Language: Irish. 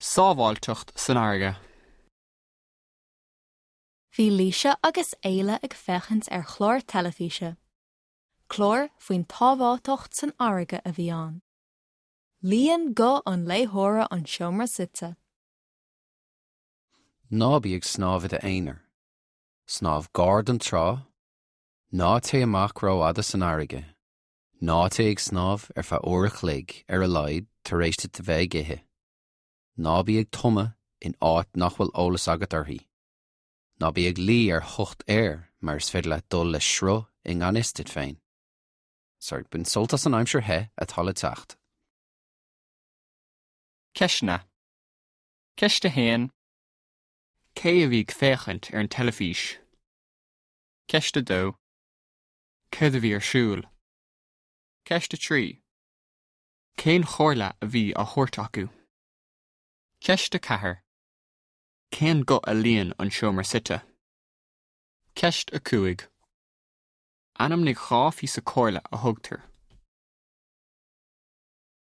Sábháilteacht san fharraige. Bhí Laoise agus Éile ag féachaint ar chlár teilifíse. Clár faoin tsábháilteacht san fharraige a bhí ann. Líon guth an léitheora an seomra suite. Ná bí ag snámh i d'aonar. Snámh gar don trá. Ná téigh amach rófhada san fharraige. Ná téigh ag snámh ar feadh uair a chloig ar a laghad tar éis duit a bheith ag ithe. Ná bí ag tumadh in áit nach bhfuil eolas agat uirthi. Ná bí ag luí ar thocht aeir mar is féidir leat dul le sruth i ngan fhios duit féin. Sorry, bain sult as an aimsir the atá le teacht. Ceisteanna. Ceist 1. Cé a bhí ag féachaint ar an teilifís? Ceist 2. Céard a bhí ar siúl? Ceist 3. Cén chomhairle a bhí á thabhairt acu? Ceist 4. Cén guth a líon an seomra suite? Ceist 5. Ainmnigh 2 phíosa comhairle a thugtar.